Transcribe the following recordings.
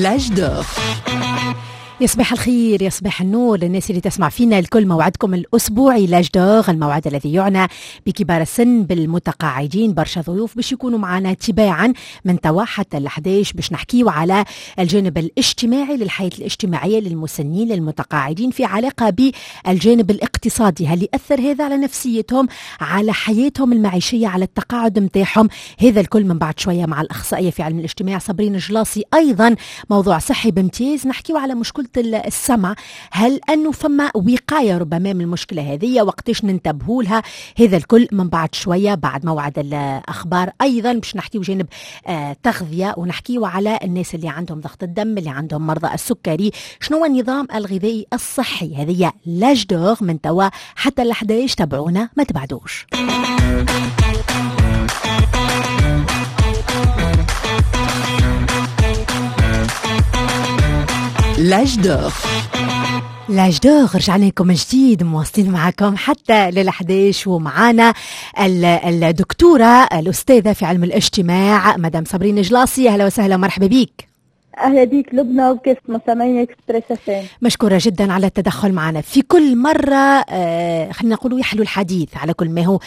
l'âge d'or. يا صباح الخير، يا صباح النور للناس اللي تسمع فينا الكل. موعدكم الأسبوعي l'âge d'or، الموعد الذي يعنى بكبار السن، بالمتقاعدين. برشا ضيوف باش يكونوا معنا تباعا من توا حتى ال11 باش نحكيو على الجانب الاجتماعي للحياة الاجتماعية للمسنين للمتقاعدين في علاقة بالجانب الاقتصادي. هل يأثر هذا على نفسيتهم، على حياتهم المعيشية، على التقاعد متاعهم؟ هذا الكل من بعد شوية مع الأخصائية في علم الاجتماع صابرين الجلاصي. أيضا موضوع صحي بامتياز، نحكيو على مشكلة السمع. هل أنه فما وقاية ربما من المشكلة هذه؟ وقتاش ننتبهوا لها؟ هذا الكل من بعد شوية بعد موعد الأخبار. أيضا باش نحكيو جانب تغذية، ونحكيو على الناس اللي عندهم ضغط الدم، اللي عندهم مرضى السكري، شنو هو النظام الغذائي الصحي. هذه l'âge d'or من توا حتى ال11، تابعونا ما تبعدوش. l'âge d'or. l'âge d'or رجعنا لكم جديد، مواصلين معكم حتى لل11، ومعانا الدكتورة الأستاذة في علم الاجتماع مدام صابرين جلاصي. أهلا وسهلا ومرحبا بك. اهلا بيك لبنى وكيف مستمعين اكسبريس اف ام. مشكورة جدا على التدخل معنا في كل مرة. خلينا نقولوا يحلو الحديث على كل ما هو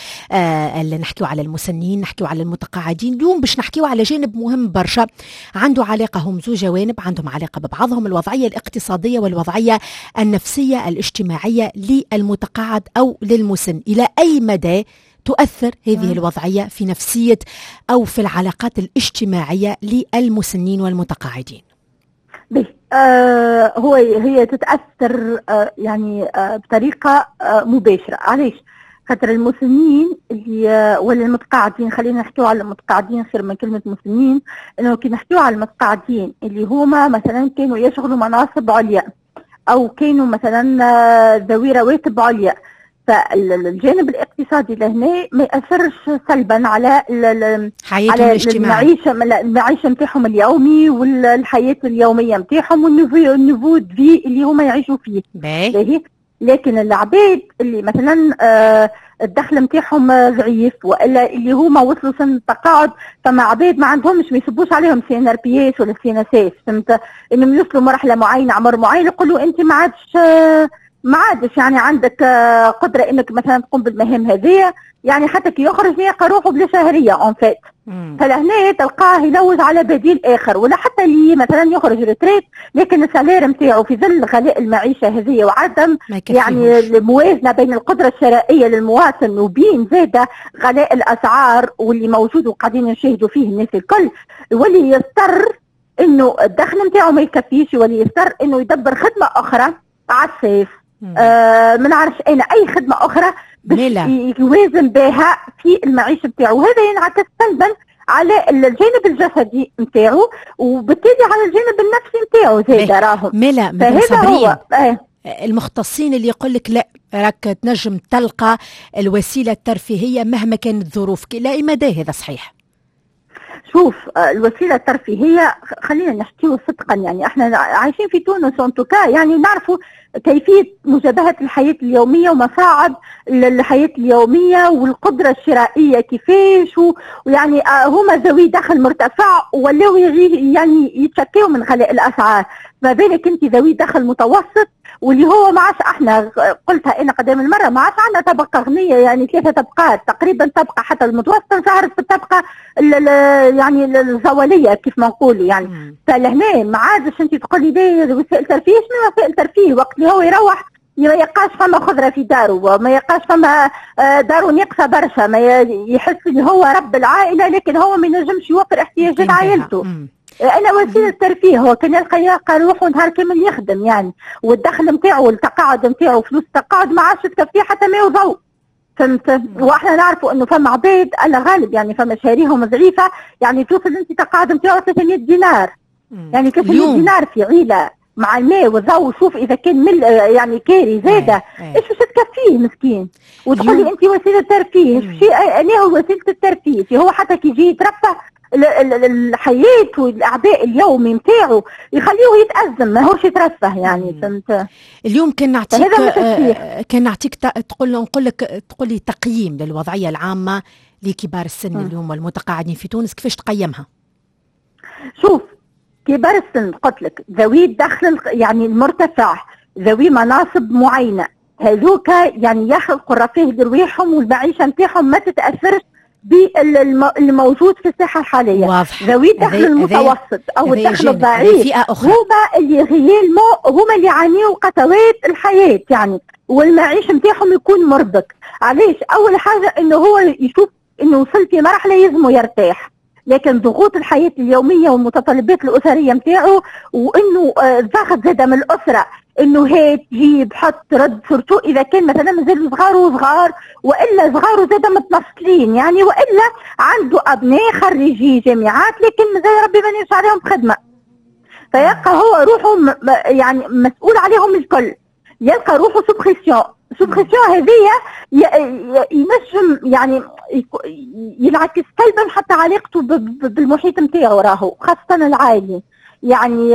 اللي نحكيو على المسنين، نحكيو على المتقاعدين. اليوم باش نحكيو على جانب مهم برشا عنده علاقة، هم زو جوانب عندهم علاقة ببعضهم، الوضعية الاقتصادية والوضعيه النفسية الاجتماعية للمتقاعد او للمسن. الى اي مدى تؤثر هذه الوضعية في نفسية أو في العلاقات الاجتماعية للمسنين والمتقاعدين؟ هو هي تتأثر يعني بطريقة مباشرة. علاش؟ خاطر المسنين اللي ولا المتقاعدين، خلينا نحكيو على المتقاعدين خير من كلمة مسنين، انه كي نحكيو على المتقاعدين اللي هما مثلا كانوا يشغلوا مناصب عليا أو كانوا مثلا ذوي رواتب عليا، فالجانب الاقتصادي لهنا ما ياثرش سلبا على حياتهم الاجتماعية، المعيشة نتاعهم اليومي والحياة اليومية نتاعهم وال niveau de vie اللي هما يعيشوا فيه. باهي. لكن العباد اللي مثلا الدخل نتاعهم ضعيف والا اللي هما وصلوا سن التقاعد، فما عباد ما عندهمش، ما يصبوش عليهم سي ان ار بي اس ولا سي ان اس اس، فهمت؟ انهم يوصلوا مرحلة معينة، عمر معين، يقولوا انت ما عادش يعني عندك قدره انك مثلا تقوم بالمهام هذه، يعني حتى كي يخرج يلقى روحه بلا شهرية en fait. فلهنا تلقاه يلوج على بديل اخر، ولا حتى اللي مثلا يخرج retraite لكن ال salaire نتاعو في ظل غلاء المعيشة هذه وعدم يعني الموازنة بين القدرة الشرائية للمواطن وبين زاده غلاء الاسعار واللي موجود وقاعدين نشاهدوا فيه الناس الكل، يولي يضطر انه الدخل نتاعو ما يكفيش، يولي يضطر انه يدبر خدمة اخرى على السيف، ما نعرفش انا اي خدمة اخرى باش يوازن بها في المعيشة نتاعو، وهذا ينعكس سلبا على الجانب الجسدي نتاعو وبالتالي على الجانب النفسي نتاعو زاد راهم. ملا فهذا هو المختصين اللي يقول لك لا راك تنجم تلقى الوسيلة الترفيهية مهما كانت ظروفك، لا مدى هذا صحيح؟ شوف، الوسيلة الترفيهية خلينا نحكيو صدقا، يعني احنا عايشين في تونس en tout cas، يعني نعرفوا كيفية مجابهة الحياة اليومية ومصاعب الحياة اليومية والقدرة الشرائية كيفاش، ويعني هما ذوي دخل مرتفع ولاو يعني يتشكيو من غلاء الاسعار، ما بالك انت ذوي دخل متوسط واللي هو ما عادش، احنا قلتها انا قدام المرة، ما عادش عندنا طبقه غنية، يعني 3 طبقات تقريبا، طبقه حتى المتوسطة ظهرت في الطبقة يعني الزواليه كيف ما نقولوا يعني. فلهنا ما عادش انت تقولي لي وسائل ترفيه، شنو وسائل ترفيه وقت اللي هو يروح ما يلقاش فما خضرة في داره، ما يلقاش فما داره ناقصه برشا، ما يحس اللي هو رب العائلة لكن هو ما ينجمش يوفر احتياجات عائلته. انا وسيلة ترفيه هو كان يلقى روحه نهار كامل يخدم يعني، والدخل نتاعو والتقاعد نتاعو فلوس التقاعد ما عادش تكفيه حتى ما وضوء، فهمت؟ واحنا نعرفوا انه فما عباد على غالب يعني فما شهريهم ضعيفة، يعني توصل انت تقاعد نتاعو 300 دينار، يعني 300 دينار في عيله مع الماء والضوء، شوف اذا كان مل يعني كاري زاده ايش باش تكفيه مسكين، وتقول لي انت وسيلة ترفيه، ايش انا هو وسيلة الترفيه؟ هو حتى كي يجي يترفه الحياة والاعباء اليومي نتاعو يخليه يتازم، ماهوش يترفه يعني، فهمت؟ اليوم كان نعطيك كان نعطيك تقول نقول لك تقول لي تقييم للوضعيه العامة لكبار السن اليوم والمتقاعدين في تونس، كيفاش تقيمها؟ شوف كبار السن قلت لك ذوي الدخل يعني المرتفع، ذوي مناصب معينة، هذوك يعني يخلقوا الرفاه لرواحهم والمعيشه نتاعهم ما تتاثرش بالموجود في الساحة الحالية. واضح. ذوي الدخل المتوسط او الدخل الضعيف هما اللي réellement هما اللي يعانيوا قسوات الحياة يعني، والمعيشه نتاعهم يكون مربك. علاش؟ اول حاجة انه هو يشوف انه وصل في مرحلة يلزمه يرتاح، لكن ضغوط الحياة اليومية والمتطلبات الاسرية نتاعو، وانه الضغط زاد من الاسرة انه هات جيب حط رد، surtout اذا كان مثلا مازالوا صغار وصغار، والا صغار زاد متنصلين يعني، والا عنده ابناء خريجي جامعات لكن مازال ربي ما نجش عليهم بخدمة، فيبقى هو روحه يعني مسؤول عليهم الكل، يلقى روحه sous pression. sous pression هذيا ينجم يعني ينعكس سلبا حتى علاقته بالمحيط نتاعو، راهو خاصة العائلي يعني،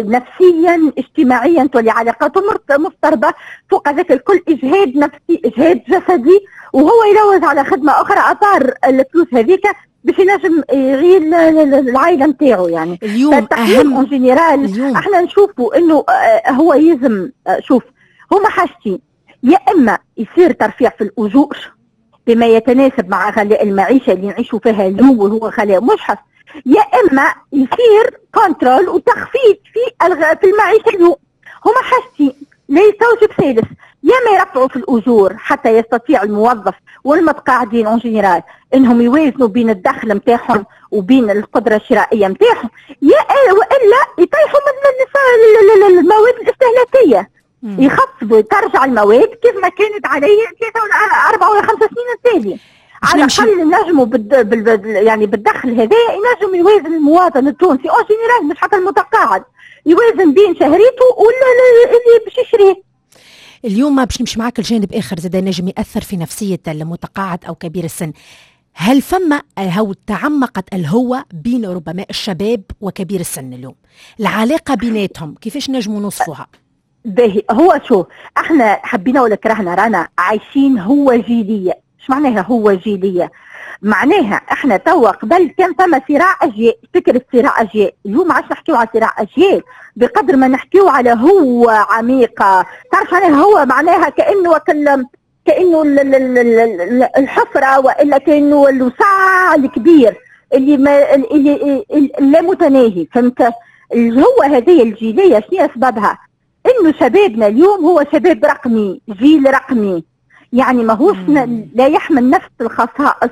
نفسيا اجتماعيا تولي علاقاته مضطربة. فوق ذاك الكل اجهاد نفسي، اجهاد جسدي، وهو يلوز على خدمة اخرى à part الفلوس هذيك باش ينجم يعيل العائلة نتاعو يعني. اليوم اهم en général احنا نشوفوا انه هو يلزم، شوف هما حاجتين، يا اما يصير ترفيع في الاجور بما يتناسب مع غلاء المعيشة اللي نعيشوا فيها اليوم وهو غلاء مجحف، يا اما يصير contrôle وتخفيض في المعيشة اليوم. هما حاجتين لا يستوجب ثالث، يا ما يرفعوا في الاجور حتى يستطيع الموظف والمتقاعدين en général انهم يوازنوا بين الدخل نتاعهم وبين القدرة الشرائية نتاعهم، يا والا يطيحوا من المواد الاستهلاكية، يخفضوا ترجع المواد كيف ما كانت عليه 3 ولا 4 ولا 5 سنين التالية. على الاقل نجموا يعني بالدخل هذا ينجم يوازن المواطن التونسي en général، مش حتى المتقاعد، يوازن بين شهريته ولا اللي باش يشريه. اليوم باش نمشي معاك لجانب اخر زاد نجم ياثر في نفسية المتقاعد او كبير السن. هل فما هو تعمقت الهوة بين ربما الشباب وكبير السن اليوم؟ العلاقة بيناتهم كيفاش نجموا نوصفوها؟ باهي، هو شو احنا حبينا ولا كرهنا رانا عايشين هو جيليه. ايش معناها هو جيليه؟ معناها احنا توا قبل كان فما صراع اجيال، فكرة صراع اجيال، اليوم ما عادش نحكيو على صراع اجيال بقدر ما نحكيو على هو عميقة. تعرف معناها هو معناها كانه كانه الحفرة، والا كانه الوسع الكبير اللي ما اللي لا متناهي، فهمت؟ الهوه هذه الجيليه شنو اسبابها؟ انه شبابنا اليوم هو شباب رقمي، جيل رقمي، يعني ماهوش لا يحمل نفس الخصائص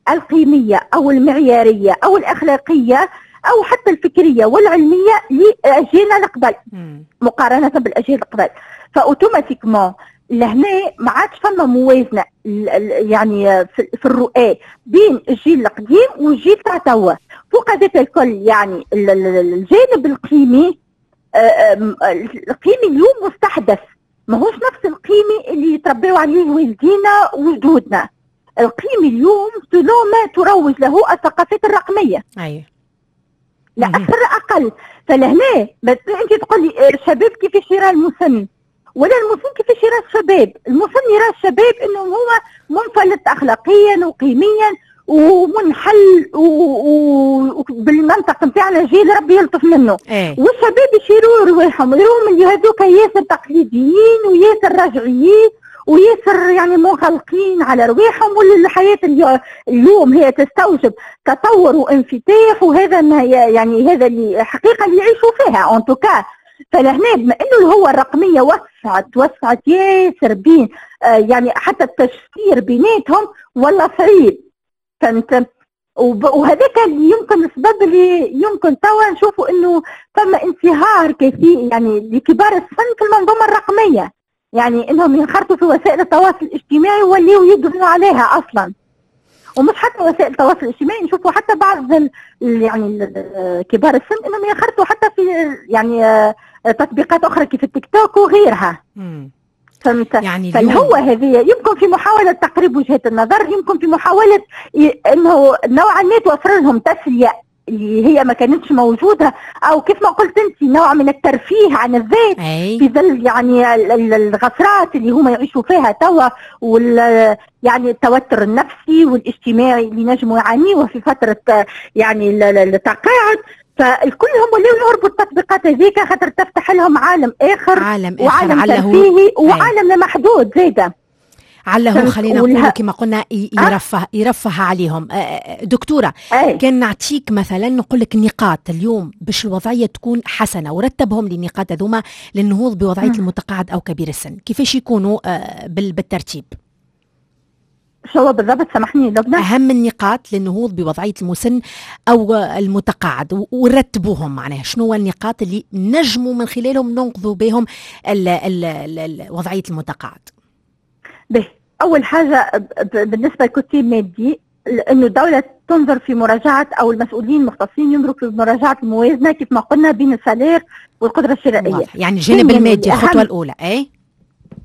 القيمية أو المعيارية أو الأخلاقية أو حتى الفكرية والعلمية لأجيالنا القبل مقارنة بالأجيال القبل. ف automatiquement لهنا ما عادش فما موازنة يعني في الرؤى بين الجيل القديم والجيل تاع توا. فوق ذاك الكل يعني الجانب القيمي، القيمي اليوم مستحدث، ماهوش نفس القيمة اللي يتربيو عليه والدينا وجدودنا. القيمة اليوم selon ما تروج له الثقافات الرقمية. أيوة. لا أكثر لا أقل. فلهنا أنت تقول لي الشباب كيفاش يرى المسن، ولا المسن كيفاش يرى الشباب. المسن يرى الشباب أنه هو منفلت أخلاقيا وقيميا ومنحل وبالمنطق نتاعنا جيل ربي يلطف منه. ايه. والشباب يشيروا رواحهم يروهم اللي هذوك ياسر تقليديين وياسر رجعيين وياسر يعني منغلقين على رواحهم، والحياة اليوم هي تستوجب تطور وانفتاح، وهذا ما يعني هذا اللي حقيقة اللي يعيشوا فيها en tout cas. فلهنا بما انه الهوة الرقمية وسعت ياسر بين يعني حتى التشفير بيناتهم ولا صعيب، فهمت؟ وهذاك اللي يمكن السبب اللي يمكن توا نشوفوا انه فما انصهار كثير يعني لكبار السن في المنظومة الرقمية، يعني انهم ينخرطوا في وسائل التواصل الاجتماعي ويوليوا يدمنوا عليها اصلا. ومش حتى وسائل التواصل الاجتماعي، نشوفوا حتى بعض يعني كبار السن انهم ينخرطوا حتى في يعني تطبيقات اخرى كيف التيك توك وغيرها. فهمت؟ يعني فالهوة هذه يمكن في محاولة تقريب وجهات النظر، يمكن في محاولة انه نوعا ما توفر لهم تسلية اللي هي ما كانتش موجودة، او كيف ما قلت انت نوع من الترفيه عن الذات. أي. في ظل يعني الغفرات اللي هما يعيشوا فيها توا، وال يعني التوتر النفسي والاجتماعي اللي نجموا يعانيوه في فترة يعني التقاعد. فالكلهم ولاو يهربوا التطبيقات هذيك خاطر تفتح لهم عالم اخر، عالم اخر وعالم ترفيهي وعالم لا محدود زاده. عله خلينا نقول كما قلنا يرفه عليهم. دكتورة، كان نعطيك مثلا نقول لك نقاط اليوم باش الوضعية تكون حسنة، ورتبهم للنقاط هذوما للنهوض بوضعية المتقاعد أو كبير السن، كيفاش يكونوا بالترتيب؟ شو بالضبط؟ سامحني لبنى. أهم النقاط للنهوض بوضعية المسن أو المتقاعد ورتبوهم، معناها شنو النقاط اللي نجموا من خلالهم ننقذوا بهم وضعية المتقاعد؟ به، أول حاجة بالنسبة لكتيب مادي، أنه الدولة تنظر في مراجعة أو المسؤولين المختصين ينظروا في مراجعة الموازنة كيف ما قلنا بين ال salaire والقدرة الشرائية. يعني الجانب المادي الخطوة الأولى.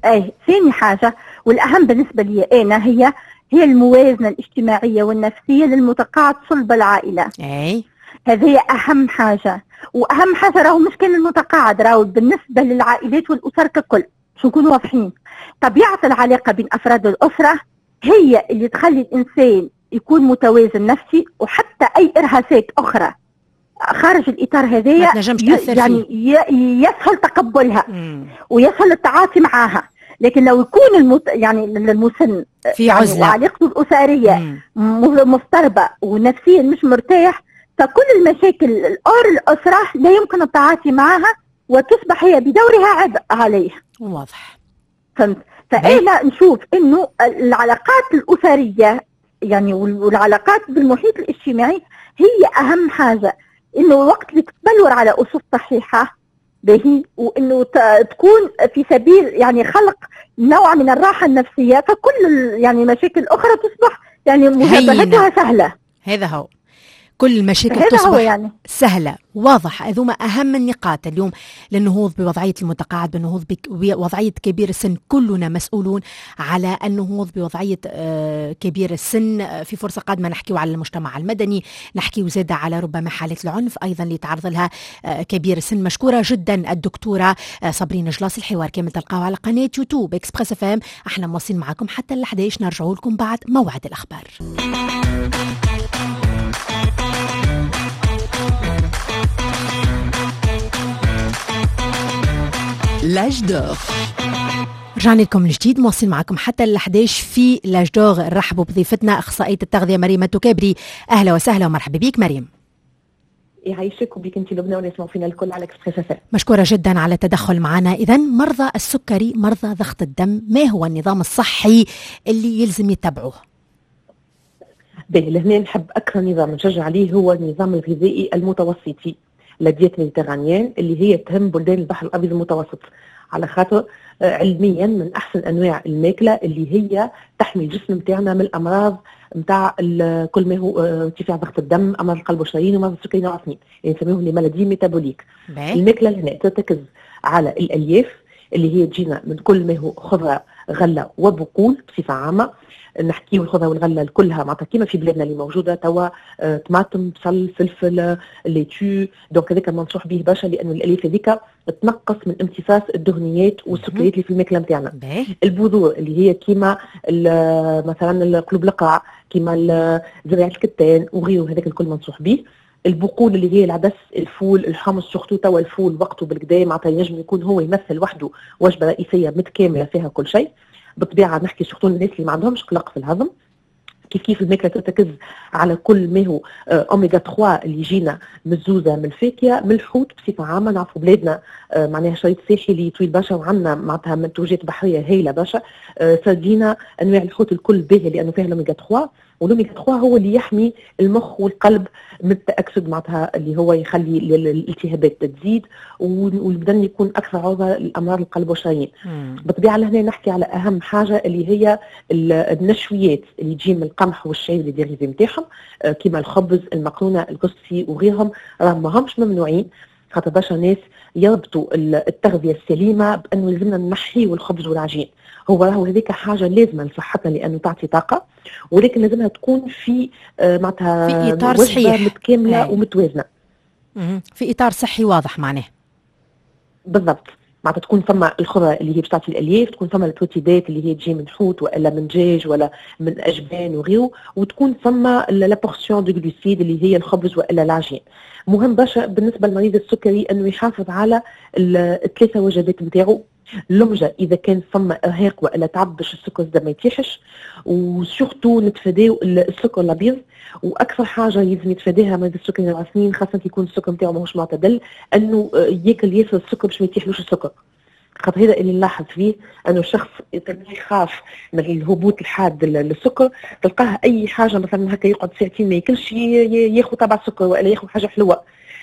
أي ثاني حاجة والأهم بالنسبة لي أنا هي الموازنة الاجتماعية والنفسية للمتقاعد صلب العائلة. أي هذه أهم حاجة، وأهم حاجة راهو مش كان المتقاعد، راهو بالنسبة للعائلات والأسر ككل، باش نكونوا واضحين. طبيعة العلاقة بين أفراد الأسرة هي اللي تخلي الإنسان يكون متوازن نفسي، وحتى أي إرهاصات أخرى خارج الإطار هذايا يعني يسهل تقبلها ويسهل التعاطي معها. لكن لو يكون يعني المسن في يعني عزلة وعلاقته الأسرية مضطربة ونفسيا مش مرتاح، فكل المشاكل الأور الأسرة لا يمكن التعاطي معها وتصبح هي بدورها عبء عليه. واضح. فهمت؟ فأنا نشوف إنه العلاقات الأسرية يعني والعلاقات بالمحيط الاجتماعي هي أهم حاجة، إنه وقت اللي تتبلور على أسس صحيحة به، وإنه تكون في سبيل يعني خلق نوع من الراحة النفسية، فكل يعني مشاكل أخرى تصبح يعني مجابهتها سهلة. هذا هو، كل المشاكل تصبح يعني سهلة. واضح. هذوما أهم النقاط اليوم للنهوض بوضعية المتقاعد، بالنهوض بوضعية كبير السن. كلنا مسؤولون على النهوض بوضعية كبير السن. في فرصة قادمة نحكيو على المجتمع المدني، نحكيو زادة على ربما حالات العنف أيضا اللي تعرض لها كبير السن. مشكورة جدا الدكتورة صابرين جلاصي. الحوار كامل تلقاوه على قناة يوتيوب Express FM. احنا مواصلين معكم حتى ال 11، نرجعوا لكم بعد موعد الأخبار. L'âge d'or. رجعنا لكم من جديد، مواصلين معكم حتى ال 11 في l'âge d'or. نرحبوا بضيفتنا اخصائية التغذية مريم التكابري. اهلا وسهلا ومرحبا بك مريم. يعيشك وبك انت لبنى واللي يسمعوا فينا الكل على Express FM. مشكورة جدا على التدخل معنا. اذا مرضى السكري، مرضى ضغط الدم، ما هو النظام الصحي اللي يلزم يتبعوه؟ باهي، لهنا نحب اكثر نظام نشجع عليه هو النظام الغذائي المتوسطي، la diète méditerranéenne، اللي هي تهم بلدان البحر الابيض المتوسط، على خاطر علميا من احسن انواع الماكلة اللي هي تحمي الجسم نتاعنا من الامراض نتاع كل ما هو ارتفاع ضغط الدم، امراض القلب والشرايين ومرض السكري نوع 2، يعني نسميهم les maladies métaboliques. الماكلة هنا ترتكز على الالياف اللي هي تجينا من كل ما هو خضرة، غله وبقول بصفة عامة. نحكيو الخضرة والغلة كلها معناتها كيما في بلادنا اللي موجودة توا، طماطم، بصل، فلفل، laitue، donc هذاك منصوح به برشا لانه الالياف هذيك تنقص من امتصاص الدهنيات والسكريات اللي في الماكلة نتاعنا. البذور اللي هي كيما مثلا قلوب القرع، كيما زريعه الكتان وغيره، هذاك الكل منصوح به. البقول اللي هي العدس، الفول، الحمص، surtout توا الفول وقته بالكدا، معناتها ينجم يكون هو يمثل وحده وجبة رئيسية متكاملة فيها كل شيء. بالطبيعة نحكي surtout الناس اللي ما عندهمش قلق في الهضم. كيف كيف الماكلة ترتكز على كل ما هو اوميغا 3 اللي يجينا من الزوزه، من الفاكهة، من الحوت بصفة عامة. نعرفوا بلادنا معناها شريط ساحلي طويل برشا وعندنا معناتها منتوجات بحرية هايلة برشا. سردينا، انواع الحوت الكل باهيه لانه فيها الاوميغا 3، والاوميغا 3 هو اللي يحمي المخ والقلب من التاكسد، معناتها اللي هو يخلي الالتهابات تزيد والبدن يكون اكثر عرضه لامراض القلب والشرايين. بالطبيعة لهنا نحكي على اهم حاجة اللي هي النشويات اللي تجي من القمح والشعير les dérivés نتاعهم، كيما الخبز، المقرونه، الكسكسي وغيرهم، راهم ماهمش ممنوعين. خاطر برشا ناس يربطوا التغذية السليمة بانه لازمنا نحيوا الخبز والعجين. هو راهو هذيك حاجة لازمه لصحتنا لانه تعطي طاقة، ولكن لازمها تكون في معناتها في اطار صحيح متكاملة ومتوازنه، في اطار صحي واضح معناه. بالضبط. معناتها تكون فما الخضرة اللي هي باش تعطي الالياف، تكون فما البروتيدات اللي هي تجي من حوت والا من دجاج ولا من اجبان وغيره، وتكون فما la portion de glucides اللي هي الخبز والا العجين. مهم برشا بالنسبة للمريض السكري انه يحافظ على الثلاثة وجبات نتاعو. اللمجه اذا كان فما ارهاق والا تعب باش السكر زاد ما يتيحش، و surtout نتفاداو السكر الابيض. واكثر حاجة لازم يتفاداها مريض السكري نوع 2، خاصة كي يكون السكر نتاعو ماهوش معتدل، انه ياكل ياسر السكر باش ما يتيحلوش السكر. خاطر هذا اللي نلاحظ فيه انه الشخص يخاف من الهبوط الحاد للسكر، تلقاه اي حاجة مثلا هكا يقعد ساعتين ما ياكلش، ياخذ طبع سكر والا ياخذ حاجة حلوة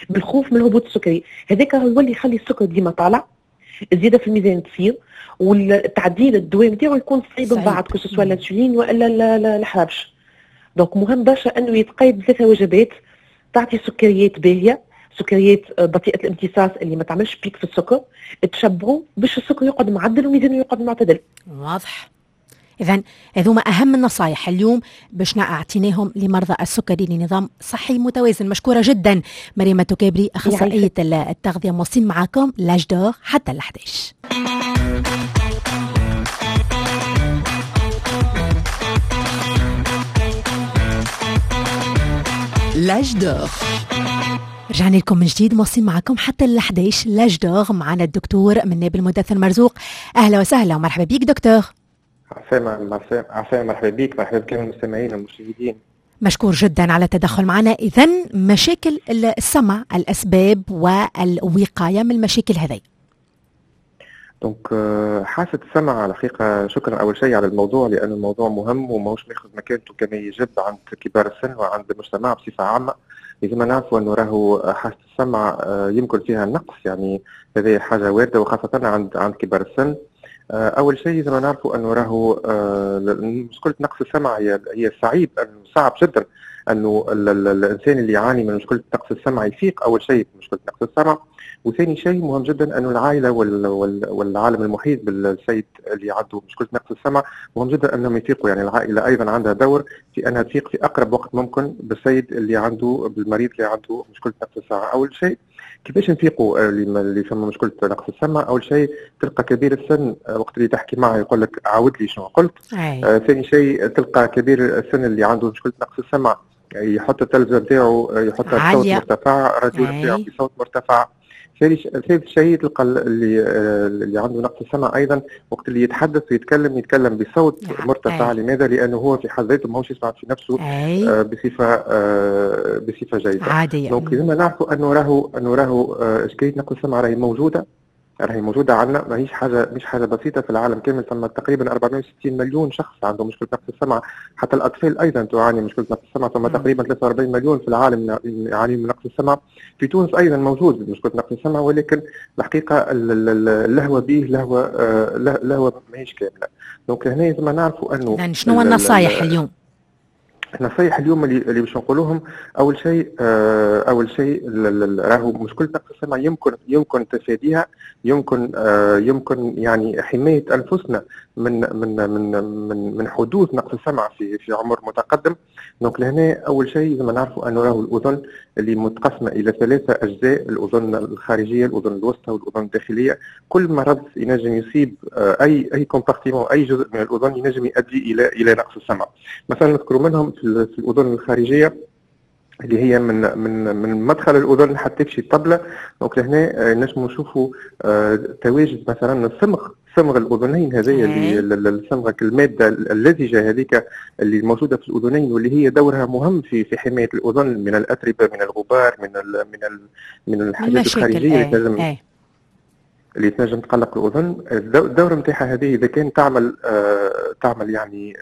بالخوف من الهبوط السكري. هذاك يولي يخلي السكر ديما طالع، الزيادة في الميزان تصير، والتعديل الدواء نتاعو يكون صعيب من بعد، que ce soit الانسولين والا الحرابش. donc مهم برشا انه يتقيد بثلاثة وجبات تعطي سكريات باهيه، سكريات بطيئه الامتصاص اللي ما تعملش pic في السكر، تشبعوا باش السكر يقعد معدل وميزانه يقعد معتدل. واضح. اذا هذوما اهم النصائح اليوم باش اعطيناهم لمرضى السكري لنظام صحي متوازن. مشكورة جدا مريم التكابري، اخصائية التغذية. موصين معاكم l'âge d'or حتى ال 11. l'âge d'or. رجعنا لكم من جديد، موصين معكم حتى ال 11 l'âge d'or. معنا الدكتور من نابل مدثر مرزوق. اهلا وسهلا ومرحبا بك دكتور. عسلامة عسلامة، مرحبا بك، مرحبا بكل المستمعين والمشاهدين. مشكور جدا على التدخل معنا. اذا مشاكل السمع، الاسباب والوقاية من المشاكل هذه. donc حاسة السمع على الحقيقة، شكرا أول شيء على الموضوع لأن الموضوع مهم وماهوش ماخذ مكانته كما يجب عند كبار السن وعند المجتمع بصفة عامة. لازم نعرفوا أنه راهو حاسة السمع يمكن فيها نقص، يعني هذه حاجة واردة وخاصة عند كبار السن. أول شيء لازم نعرفوا أنه راهو مشكلة نقص السمع هي صعيب، صعب جدا أنه الإنسان اللي يعاني من مشكلة نقص السمع يفيق أول شيء بمشكلة نقص السمع. وثاني شيء مهم جدا أنه العائلة والعالم المحيط بالسيد اللي عنده مشكلة نقص السمع مهم جدا أنهم يفيقوا، يعني العائلة أيضا عندها دور في أنها تفيق في أقرب وقت ممكن بالسيد اللي عنده، بالمريض اللي عنده مشكلة نقص السمع. أول شيء كيفاش نفيقوا اللي فما مشكلة نقص السمع؟ أول شيء تلقى كبير السن وقت اللي تحكي معه يقول لك عاود لي شنو قلت. ثاني شيء تلقى كبير السن اللي عنده مشكلة نقص السمع يحط التلفزة نتاعو، يحطها بصوت مرتفع، الراديو نتاعو بصوت مرتفع. ثالث شيء تلقى اللي عنده نقص السمع ايضا وقت اللي يتحدث ويتكلم يتكلم بصوت مرتفع. لماذا؟ لانه هو في حد ذاته ماهوش يسمع في نفسه بصفة جيدة عادية. donc لازم نعرفوا انه راهو اشكالية نقص السمع راهي موجودة، راهي موجودة عندنا، ماهيش حاجة، مش حاجة بسيطة في العالم كامل. ثم تقريبا 460 مليون شخص عندهم مشكلة نقص السمع، حتى الاطفال ايضا تعاني مشكلة نقص السمع. ثم تقريبا 43 مليون في العالم يعاني من نقص السمع. في تونس ايضا موجود مشكلة نقص السمع، ولكن الحقيقة اللهوه به لهوه ماهيش كاملة. donc هنا لازم نعرفوا انه شنو النصائح اليوم؟ النصائح اليوم اللي باش نقولوهم، اول شيء راهو مشكلة نقص السمع يمكن تفاديها، يمكن يعني حماية انفسنا من من من من من حدوث نقص السمع في عمر متقدم. donc لهنا اول شيء لازم نعرفوا انه راهو الاذن اللي متقسمه الى 3 اجزاء، الاذن الخارجية، الاذن الوسطى، والاذن الداخلية. كل مرض ينجم يصيب اي compartiment، اي جزء من الاذن ينجم يؤدي الى نقص السمع. مثلا نذكروا منهم في الاذن الخارجية اللي هي من من من مدخل الاذن حتى تمشي الطبلة. donc لهنا نجموا نشوفوا تواجد مثلا الصمغ، صمغ الاذنين هذه اللي الصمغ المادة اللزجه هذيك اللي موجودة في الاذنين واللي هي دورها مهم في حماية الاذن من الاتربه، من الغبار، من ال من ال من الحاجات الخارجية اللي تنجم اللي تنجم تقلق الاذن. الدورة نتاعها هذه اذا كان تعمل يعني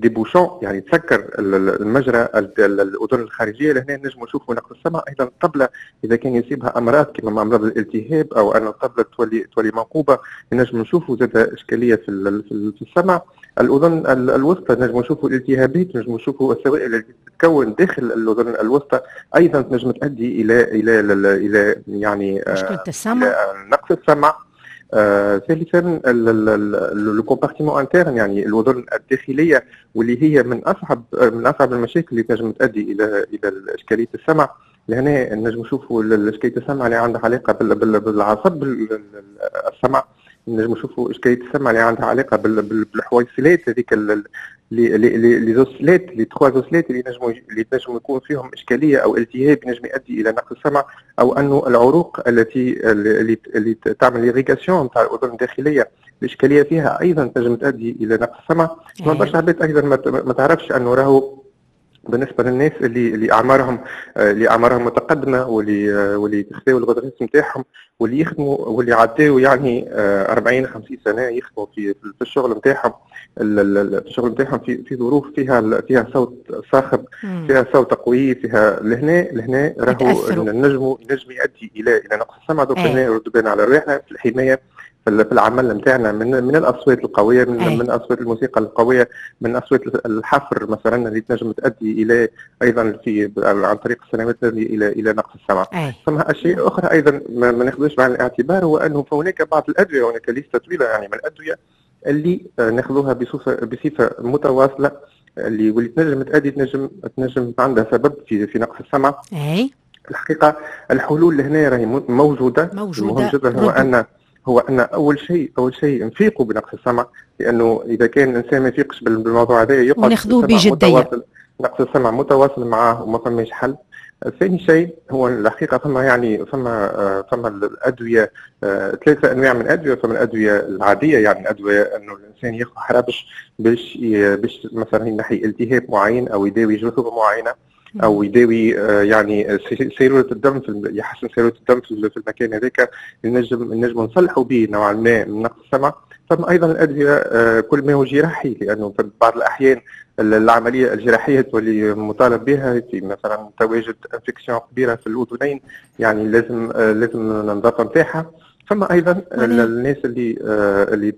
des bouchons، يعني تسكر المجرى الاذن الخارجية. لهنا نجموا نشوفوا نقص السمع. ايضا الطبلة اذا كان يصيبها امراض كما امراض الالتهاب او ان الطبلة تولي منقوبه، نجموا نشوفوا زاد اشكالية في السمع. الاذن الوسطى نجموا نشوفوا الالتهابات، نجموا نشوفوا السوائل التي تتكون داخل الاذن الوسطى ايضا تنجم تؤدي الى الى الى يعني مشكلة السمع، نقص السمع. ثالثا le compartiment interne، يعني الاذن الداخلية واللي هي من اصعب المشاكل اللي تنجم تؤدي الى اشكالية السمع، لهنا نجم نشوفوا اشكالية السمع اللي عندها علاقة بالعصب السمع، نجم نشوفوا اشكالية السمع اللي عندها علاقة بالحويصلات هذيك les osselettes، les trois osselettes اللي تنجم يكون فيهم اشكالية او التهاب ينجم يؤدي الى نقص السمع، او انه العروق التي اللي تعمل l'irrigation تاع الاذن الداخلية الاشكالية فيها ايضا تنجم تؤدي الى نقص السمع. برشا عباد ايضا ما تعرفش انه راهو بالنسبة للناس اللي اعمارهم متقدمة واللي تخذوا ال retraite نتاعهم واللي يخدموا واللي عداو يعني 40 50 سنة يخدموا في الشغل نتاعهم، في الشغل نتاعهم في ظروف فيها صوت صاخب، فيها صوت قوي، فيها لهنا راهو نجم يؤدي الى نقص السمع. donc هنا نردوا بالنا على رواحنا في الحماية في العمل نتاعنا من الاصوات القوية، من اصوات الموسيقى القوية، من اصوات الحفر مثلا اللي تنجم تؤدي الى ايضا في عن طريق السنوات الى نقص السمع. ثم اشياء اخرى ايضا ما ناخذوش بعين الاعتبار، هو انه هناك بعض الادوية، هناك ليستة طويلة يعني من الادوية اللي ناخذوها بصفة متواصلة واللي تنجم تؤدي تنجم عندها سبب في نقص السمع. الحقيقة الحلول لهنا راهي موجودة. المهم جدا هو ان اول شيء نفيقوا بنقص السمع، لانه اذا كان الانسان ما يفيقش بالموضوع هذا يقعد وناخذوه بجدية، نقص السمع متواصل معاه وما فماش حل. ثاني شيء هو الحقيقة فما الادوية، ثلاثة انواع من الادوية. فما الادوية العادية، يعني الادوية انه الانسان ياخذ حرابش باش مثلا ينحي التهاب معين او يداوي جرثومة معينة او يداوي يعني سيرولة الدم، يحسن سيرولة الدم في المكان هذاك، نجم نصلحوا به نوعا ما من نقص السمع. ثم ايضا الادوية كل ما هو جراحي، لانه في بعض الاحيان العملية الجراحية تولي مطالب بها في مثلا تواجد infection كبيرة في الاذنين، يعني لازم النظافة نتاعها. ثم ايضا الناس اللي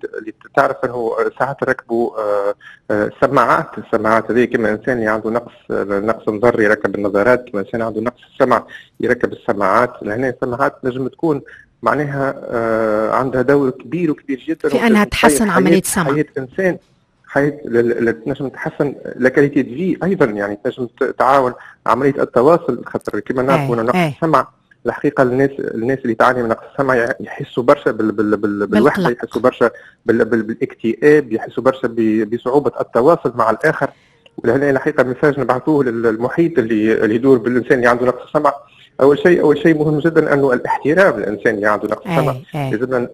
تعرف انه ساعات ركبوا السماعات هذه، كما انسان اللي عنده نقص نظر يركب النظارات، كما انسان عنده نقص السمع يركب السماعات. لهنا السماعات نجم تكون معناها عندها دور كبير وكبير جدا في انها تحسن عملية السمع، حياة الانسان، حياة تنجم تحسن la qualité de vie ايضا، يعني تنجم تعاون عملية التواصل، خاطر كما نعرفوا نقص السمع الحقيقة الناس اللي تعاني من نقص السمع يحسوا برشا بالوحدة، يحسوا برشا بالاكتئاب، يحسوا برشا بصعوبة التواصل مع الاخر. ولهنا الحقيقة message نبعثوه للمحيط اللي يدور بالانسان اللي عنده نقص السمع. اول شيء مهم جدا انه الاحترام للانسان اللي عنده نقص السمع،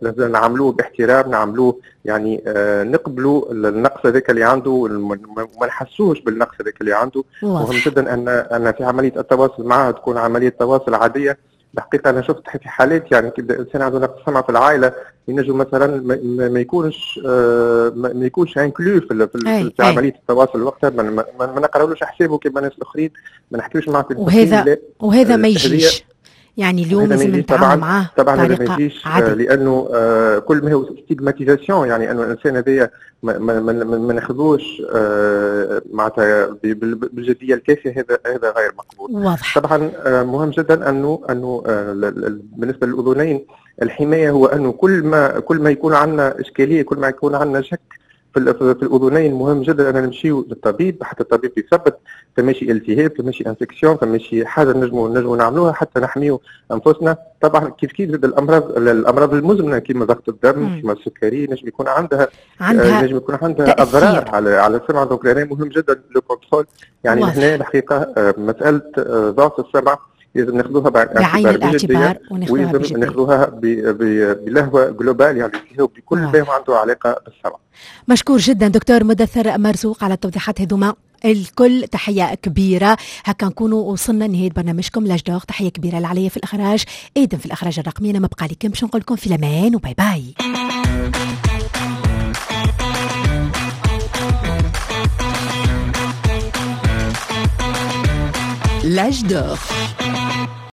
لازم نعاملوه باحترام، نعاملوه يعني نقبلوا النقص هذاك اللي عنده وما نحسوش بالنقص هذاك اللي عنده. مهم جدا ان في عملية التواصل معه تكون عملية تواصل عادية. الحقيقة انا شفت في حالات يعني كيبدا الانسان عنده نقص سمع في العائلة، ينجم مثلا ما يكونش inclus في عملية التواصل وقتها، ما نقراولوش حسابه كما الناس الاخرين، ما نحكيوش معاه في وهذا ما يجيش. يعني اليوم لازم نتعامل معاه طبعا بطريقة عادية، لانه كل ما هو stigmatisation، يعني انه الانسان هذايا ما ناخذوش معناتها بالجديه الكافيه، هذا غير مقبول. واضح. طبعا مهم جدا انه بالنسبة للاذنين الحماية هو انه كل ما يكون عندنا اشكالية، كل ما يكون عندنا شك في الاذنين، مهم جدا ان نمشيو للطبيب حتى الطبيب يثبت فماشي التهاب، فماشي infection، فماشي حاجة نجمو نعملوها حتى نحميو انفسنا. طبعا كيف كيف الامراض المزمنة كيما ضغط الدم، كيما السكري، نجم يكون عندها اضرار على السمع. donc لهنا مهم جدا le contrôle، يعني هنا الحقيقة مسالة ضعف السمع لازم ناخذوها بعين الاعتبار وناخذوها بجدية، ناخذوها بلهوه globale، يعني بكل ما عنده علاقة بالسمع. مشكور جدا دكتور مدثر مرزوق على التوضيحات هذوما الكل، تحية كبيرة. هكا نكونوا وصلنا لنهاية برنامجكم l'âge d'or. تحية كبيرة لعليا في الإخراج، آدم في الإخراج الرقمي. أنا ما بقى لكم باش نقول لكم في الأمان و bye bye. L'âge d'or.